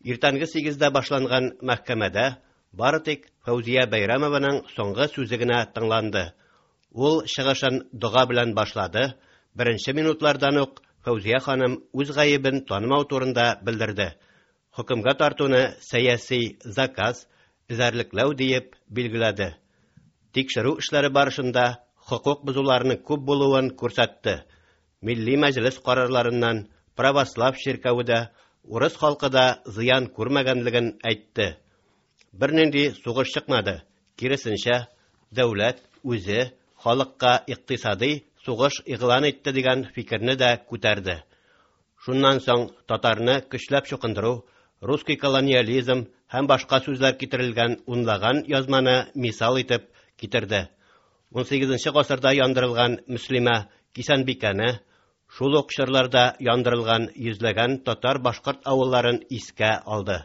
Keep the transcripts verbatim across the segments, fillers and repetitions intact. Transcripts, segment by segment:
Иртәнге сигездә башланган мәхкәмәдә бары тик Фәүзия Бәйрәмованың соңгы сүзе генә тыңланды. Ул чыгышын дога белән башлады. Беренче минутлардан ук Фәүзия ханым үз гаебен танымау турында белдерде. Хөкемгә тартуны сәяси заказ, эзәрлекләү диеп билгеләде. Тикшерү эшләре барышында хокук бозуларының күп булуын күрсәтте. Милли мәҗлес карарларыннан православ чиркәве дә, урыс халкы да зыян күрмәгәнлеген әйтте. Бернинди сугыш чыкмады. Киресенчә, дәүләт үзе халыкка икътисади сугыш игълан итте дигән фикерне дә күтәрде. Шуннан соң татарны көчләп чукындыру, русский колониализм һәм башка сүзләр китерелгән унлаган язманы мисал итеп китерде. ун сигезенче гасырда яндырылган мөслимә Кисәнбикәне, шул ук чорларда яндырылган йөзләгән татар-башкорт авылларын искә алды.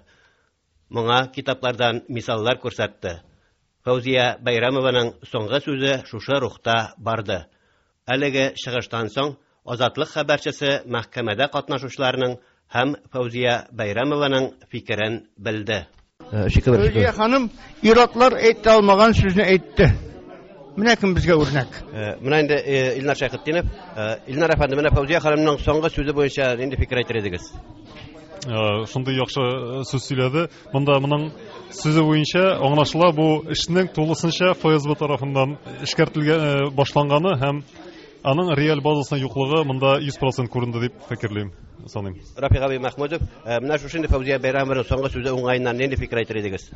Моңа китаплардан мисаллар күрсәтте. Фәүзия Бәйрәмованың соңгы сүзе шушы рухта барды. Әлеге чыгыштан соң Азатлык хәбәрчесе мәхкәмәдә катнашучыларның һәм Фәүзия Бәйрәмованың фикерен белде. Фәүзия ханым ир-атлар әйтә алмаган сүзне әйтте. Менә кем безгә үрнәк. Менә инде Илнар Шәйхетдинов. Илнар әфәнде, менә Фәүзия ханымның соңгы сүзе буенча нинди фикер әйтер идегез? Шундый яхшы сүз сөйләде. Монда моның сүзе буенча аңлашыла, бу эшнең тулысынча Эф Эс Бэ тарафыннан эшкәртелгән башланганы һәм аның реаль базасының юклыгы монда йөз процент күренде дип фикерлим, саныйм. Рафик абый Махмудов, менә шушы инде Фәүзия Бәйрәмованың соңгы сүзе уңаеннан нинди фикер әйтер идегез?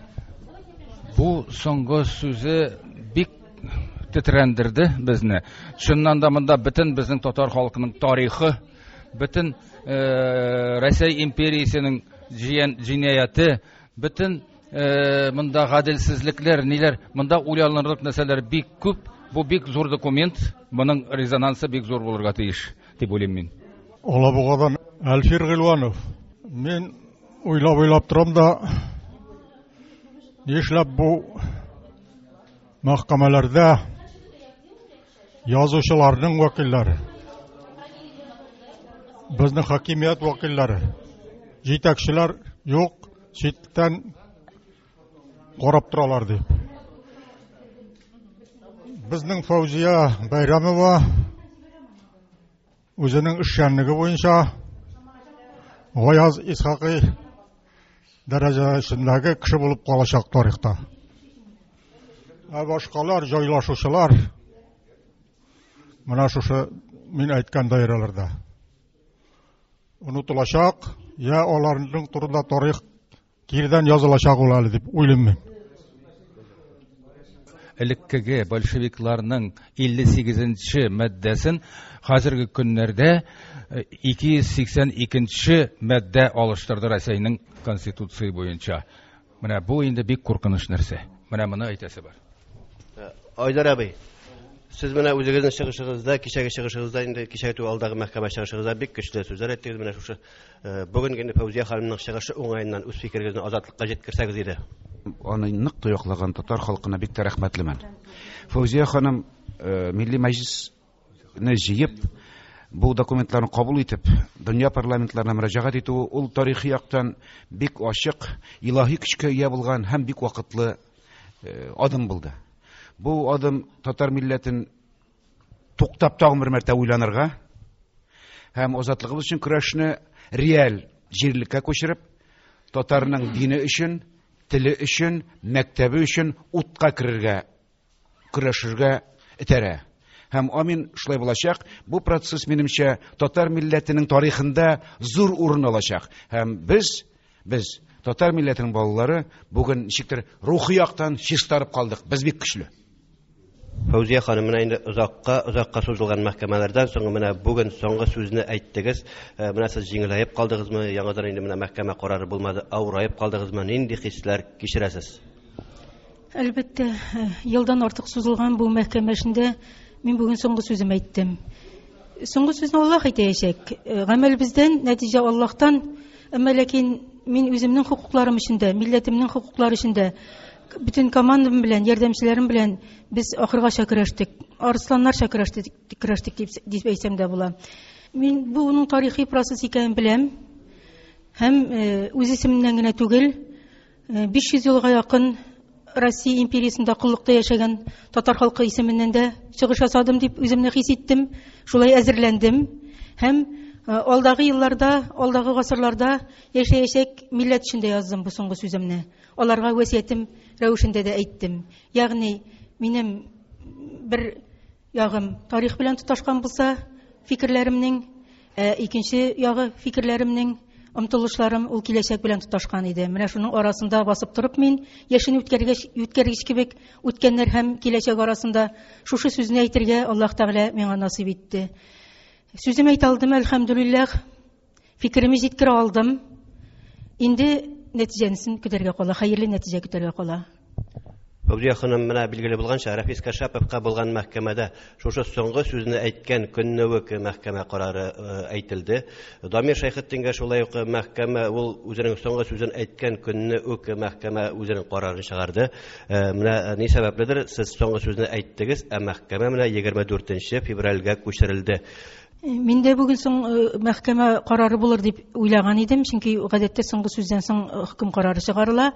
Бу соңгы сүзе бик тетрәндерде безне. Чыннан да монда бөтен безнең татар халкының тарихы, бөтен, э, Рәсәй империясенең җиен-, җинаяте, бөтен, э, монда гаделсезлекләр, ниләр, монда уйланырлык нәрсәләр бик күп. Бу бик зур документ, моның резонансы бик зур булырга тиеш дип уйлыйм мин. Алабугадан Әлфир Гыйлванов. Мин уйлап-уйлап торам да, нишләп бу мәхкәмәләрдә язучыларның вәкилләре, безнең хакимият вәкилләре, җитәкчеләр юк, читтән карап торалар дип. Безнең Фәүзия Бәйрәмова үзенең эшчәнлеге буенча Гаяз Исхакый дәрәҗәсендәге кеше булып калачак тарихта. Ә башкалар, җайлашучылар менә шушы мин әйткән даирәләрдә онытылачак, я аларның турында тарих кирдән язылачак ул әле дип уйлыйм мин. Элеккеге большевикларның илле сигезенче маддәсен хәзерге көннәрдә ике йөз сиксән икенче маддә алыштырды Рәсәйнең конституция буенча. Менә бу инде бик куркыныч нәрсә. Менә моны әйтәсе бар. Айдар абый, сез менә үзегезнең чыгышыгызда, кичәге чыгышыгызда, инде кичәге түгел, алдагы мәхкәмә чыгышыгызда бик көчле сүзләр әйттегез. Менә шушы, э, бүгенге инде Фәүзия ханымның чыгышы уңаеннан үз фикерегезне Азатлыкка җиткерсәгез иде. Аны нык та яклаган татар халкына бик тә рәхмәтлемен. Фәүзия ханым, э, Милли Мәҗлесне җыеп, бу документларны кабул итеп, дөнья парламентларына мөрәҗәгать итүе ул тарихи яктан бик ачык, илаһи көчкә ия булган һәм бик вакытлы, э, адым булды. Бу адым татар милләтен туктап тагын бер мәртәбә уйланырга һәм азатлыгыбыз өчен көрәшне реаль җирлеккә күчереп, татарның дине өчен, теле өчен, мәктәбе өчен утка керергә, көрәшергә этәрә. Һәм амин шулай булачак. Бу процесс минемчә татар милләтенең тарихында зур урын алачак. Һәм без, без татар милләтенең балалары бүген ничектер рухи яктан чистарып калдык. Без бик көчле. Фәүзия ханым, менә инде озакка, озакка сузылган мәхкәмәләрдән соң менә бүген соңгы сүзне әйттегез. Э, менә сез җиңеләеп калдыгызмы? Яңадан инде менә мәхкәмә карары булмады, авыраеп калдыгызмы? Нинди хисләр кичерәсез? Әлбәттә, э, елдан артык сузылган бу мәхкәмә эшендә мин бүген соңгы сүзем әйттем. Соңгы сүзне Аллаһ әйтәчәк. Э, гамәл бездән, нәтиҗә Аллаһтан. Әмма ләкин мин үземнең хокукларым өчен дә, милләтемнең хокуклары өчен дә, бөтен командам белән, ярдәмчеләрем белән без ахыргача көрәштек. Арысланнарча көрәштек, көрәштек дип, дип әйтсәм дә була. Мин бу уның тарихи процесс икәнен беләм. Һәм үз исемемнән генә түгел, биш йөз елга якын Россия империясендә коллыкта яшәгән татар халкы исеменнән дә чыгыш ясадым дип үземне хис иттем, шулай әзерләндем. Һәм алдагы елларда, алдагы гасырларда яшәячәк милләт өчен дә яздым бу соңгы сүземне. Аларга васыятем рәвешендә дә әйттем. Ягъни минем бер ягым тарих белән тоташкан булса, фикерләремнең, икенче ягы фикерләремнең, омтылышларым ул киләчәк белән тоташкан иде. Менә шуның арасында басып торып мин яшен үткәргәч, үткәргеч кебек үткәннәр һәм киләчәк арасында шушы сүзне әйтергә Аллаһ Тәгалә миңа насыйп итте. Сүзем әйтә алдым, әлхәмдүлилләһ. Фикеремне җиткерә алдым. Инде нәтиҗәсен көтәргә кала, хәерле нәтиҗә көтәргә кала. Фәүзия ханым, менә билгеле булганча, Рафис Кашаповка булган мәхкәмәдә шушы соңгы сүзне әйткән көнне үк мәхкәмә карары әйтелде. Дамир Шәйхетдингә шулай ук мәхкәмә ул үзенең соңгы сүзен әйткән көнне үк мәхкәмә үзенең карарын чыгарды. Менә ни сәбәпледер, сез соңгы сүзне әйттегез, ә мәхкәмә менә егерме дүртенче февральгә күчерелде. Мин дә бүген соң мәхкәмә карары булыр дип уйлаган идем, чөнки гадәттә соңгы сүздән соң хөкем карары чыгарыла.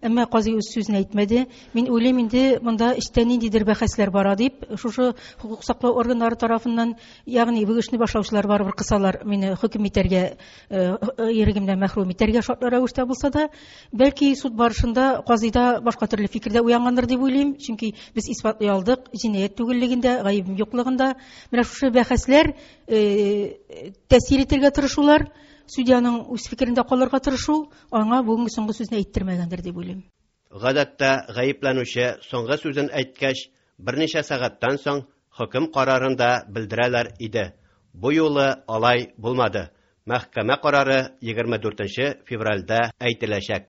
Әмма казый үз сүзен әйтмәде. Мин уйлыйм инде монда эчтә ниндидер бәхәсләр бара дип, шушы хокук саклау органнары тарафыннан, ягъни бу эшне башлаучылар барыбер кысалар мине хөкем итәргә, ирегемнән мәхрүм итәргә шартлы рәвештә булса да, бәлки суд барышында казыйда башка төрле фикердә уянгандыр дип уйлыйм, чөнки без исбатлый алдык җинаять түгеллегендә, гаебем юклыгында. Менә шушы бәхәсләр тәэсир итәргә тырышулар, судьяның үз фикерендә калырга тырышу, аңа бүгенге соңгы сүзне әйттермәгәндер дип уйлыйм. Гадәттә гаепләнүче соңгы сүзен әйткәч, берничә сәгатьтән соң хөкем карарын да белдерәләр иде. Бу юлы алай булмады. Мәхкәмә карары егерме дүртенче февральдә әйтеләчәк.